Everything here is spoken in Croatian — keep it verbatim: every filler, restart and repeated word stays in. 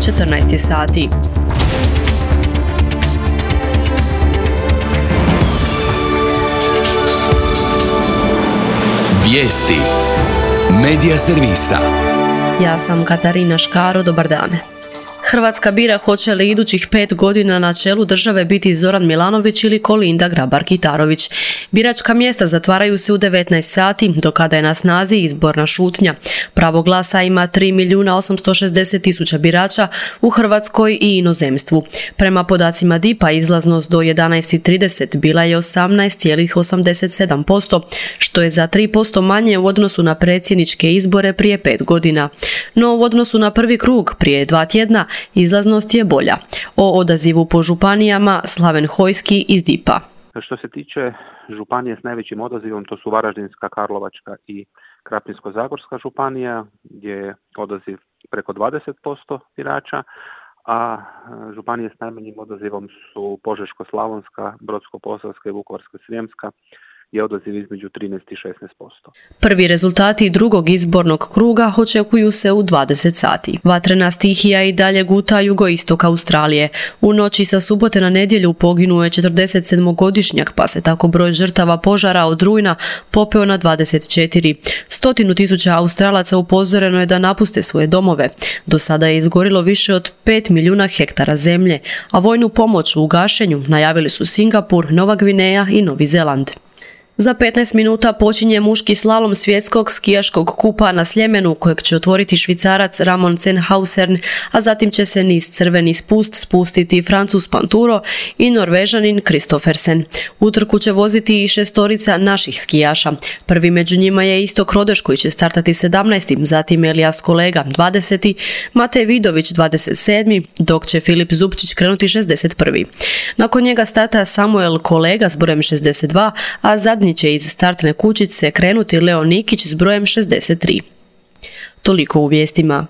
četrnaest sati. Vijesti Medija servisa. Ja sam Katarina Škaro, dobar dan. Hrvatska bira hoće li idućih pet godina na čelu države biti Zoran Milanović ili Kolinda Grabar-Kitarović. Biračka mjesta zatvaraju se u devetnaest sati, do kada je na snazi izborna šutnja. Pravo glasa ima tri milijuna osamsto šezdeset tisuća birača u Hrvatskoj i inozemstvu. Prema podacima D I P-a izlaznost do jedanaest i trideset bila je osamnaest zarez osamdeset sedam posto, što je za tri posto manje u odnosu na predsjedničke izbore prije pet godina. No u odnosu na prvi krug prije dva tjedna izlaznost je bolja. O odazivu po županijama Slaven Hojski iz D I P-a. Što se tiče županije s najvećim odazivom, to su Varaždinska, Karlovačka i Krapinsko-zagorska županija, gdje je odaziv preko dvadeset posto birača, a županije s najmanjim odazivom su Požeško-slavonska, Brodsko-posavska i Vukovarsko-srijemska, je odaziv između trinaest i šesnaest posto. Prvi rezultati drugog izbornog kruga očekuju se u dvadeset sati. Vatrena stihija i dalje guta jugoistok Australije. U noći sa subote na nedjelju poginuo je četrdesetsedmogodišnjak, pa se tako broj žrtava požara od rujna popeo na dvadeset četiri. Stotinu tisuća Australaca upozoreno je da napuste svoje domove. Do sada je izgorilo više od pet milijuna hektara zemlje, a vojnu pomoć u gašenju najavili su Singapur, Nova Gvineja i Novi Zeland. Za petnaest minuta počinje muški slalom svjetskog skijaškog kupa na Sljemenu, kojeg će otvoriti Švicarac Ramon Zenhausen, a zatim će se niz crveni spust spustiti Francuz Panturo i Norvežanin Kristoffersen. Utrku će voziti i šestorica naših skijaša. Prvi među njima je Istok Rodeš koji će startati sedamnaesti, zatim Elijas Kolega dvadeseti, Matej Vidović dvadeset sedmi, dok će Filip Zupčić krenuti šezdeset prvi. Nakon njega starta Samuel Kolega s brojem šezdeset dva, a zadnji će iz startne kućice krenuti Leo Nikić s brojem šezdeset tri. Toliko u vijestima.